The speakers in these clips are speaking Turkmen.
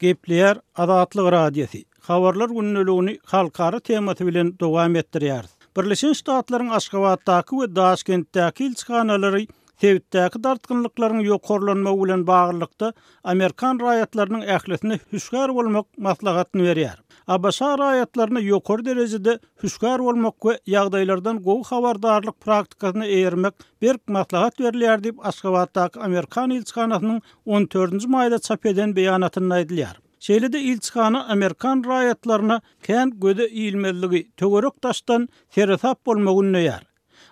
Gepleýär Azatlyk Radiosy, Habarlar gündeligini halkara temasy bilen dowam etdirýäris. Birleşen Ştatlaryň Aşgabatdaky we Daşkentdäki ilçihanalary sebitdäki dartgynlyklaryň ýokarlanmagy bilen baglylykda amerikan raýatlarynyň ählisine hüşgär bolmak maslahatyny berýär. ABŞ raýatlaryna ýokary derejede hüşgär bolmak we ýagdaýlardan gowy habardarlyk praktikasyna eýermek berk maslahat berilýär diýip, Aşgabatdaky amerikan ilçihanasynyň on dördünji maýda çap eden beýanatynda aýdylýar. Şeýle-de ilçihana amerikan raýatlaryna kän göze ilmezligi, töwerek-daşdan seresap bolmagy ündeýär.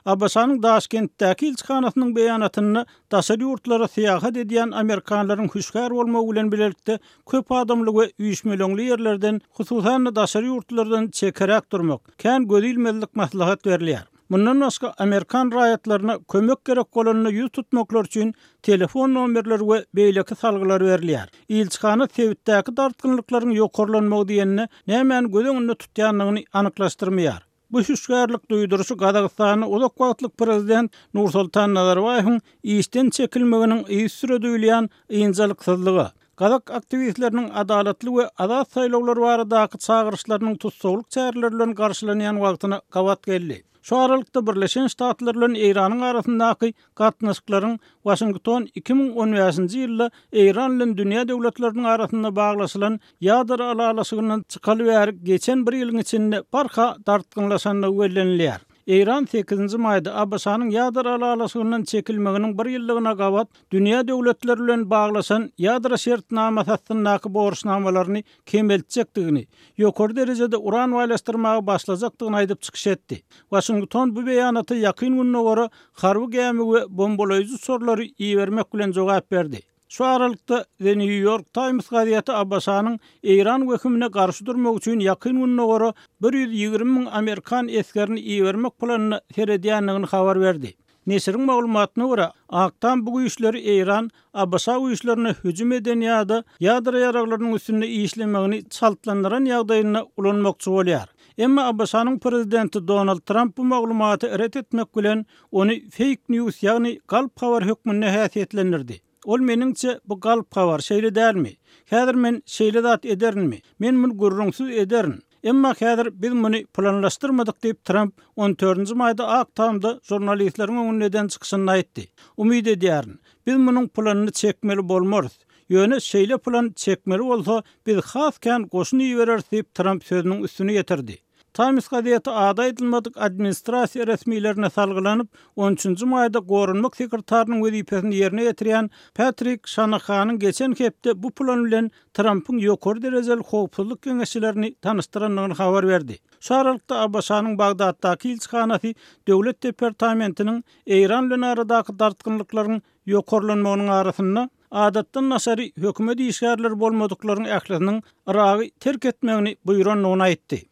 ABŞ-nyň Daşkentdäki ilçihanasynyň beýanatynda daşary ýurtlara syýahat edýän amerikanlaryň hüşgär bolmagy bilen bilelikde köp adamly we üýşmeleňli ýerlerden, hususan-da daşary ýurtlardan çekeräk durmak, kän göz ilmezlik maslahat berilýär. Mundan başga, amerikan raýatlaryna kömek gerek bolanda ýüz tutmaklary üçin telefon nomerleri we beýleki salgylar berilýär. Ilçihana sebitdäki dartgynlyklaryň ýokarlanmagy diýende nämäni göz öňünde tutýandygyny anyklaşdyrmaýar. Bu hüşgärlik duýduryşy Gazagystanda uzak wagtlyk prezident Nursultan Nazarbaýewiň işden çekilmeginiň yzysüre duýulýan ynjalyksyzlyga, gazak aktiwistleriniň adalatly we azat saýlawlar baradaky çagyryşlarynyň tussaglyk çäreleri bilen garşylanýan wagtyna gabat geldi. Şu aralykda Birleşen Ştatlar bilen Eýranyň arasyndaky gatnaşyklaryň Waşington 2015-nji ýylda Eýran bilen dünýä döwletleriniň arasynda baglaşylan ýadro ylalaşygyndan çykaly bäri geçen bir ýylyň içinde barha dartgynlaşandygy bellenilýär. Eýran sekizinji maýda ABŞ-nyň ýadro ylalaşygyndan çekilmeginiň bir ýyllygyna gabat dünýä döwletleri bilen baglaşan ýadro şertnamasy astyndaky borçnamalaryny kemeltjekdigini, ýokary derejede uran baýlaşdyrmaga başlajakdygyny aýdyp çykyş etdi. Waşington bu beýanata Ýakyn Gündogara harby gämi we bombalaýjy uçarlary ibermek bilen jogap berdi. Şu aralykda, The New York Times gazeti ABŞ-nyň Eýran wehimine garşy durmak üçin Ýakyn Gündogara 120 müň amerikan esgerini ibermek planyna seredýändigini habar berdi. Neşiriň maglumatyna görä, Ak Tam bu güýçleri Eýran ABŞ güýçlerine hüjüm eden ýa-da ýadro ýaraglarynyň üstünde işlemegini çaltlandyran ýagdaýynda ulanmakçy bolýar. Emma ABŞ-nyň prezidenti Donald Tramp bu maglumaty ret etmek bilen, ony feýk news, ýagny galp habar hökmünde häsiýetlendirdi. Ol meniňçe, bu galp habar, şeýle dälmi? Häzir men şeýle zat ederinmi? Men muny gürrüňsiz ederin. Emma häzir biz muny planlaşdyrmadyk diýip, Tramp on dördünji maýda Ak Tamda žurnalistleriň öňünde eden çykyşynda aýtdy. Umyt edýärin, biz munuň planyny çekmeli bolmarys. Ýöne şeýle plan çekmeli bolsa, biz has kän goşun ibereris diýip, Tramp sözüniň üstüni ýetirdi. Times gazeti ady aýdylmadyk administrasiýa resmilerine salgylanyp, on üçünji maýda goranmak sekretarynyň wezipesini ýerine ýetirýän Patrik Şanahanyň geçen hepde bu plan bilen Trampyň ýokary derejeli howpsuzlyk geňeşçilerini tanyşdyrandygyny habar berdi. Şu aralykda ABŞ-nyň Bagdatdaky ilçihanasy Döwlet departamentiniň Eýran bilen aradaky dartgynlyklaryň ýokarlanmagynyň arasynda adatdan daşary hökümet işgärleri bolmadyklaryň ählisiniň Yragy terk etmegini buýrandygyny aýtdy.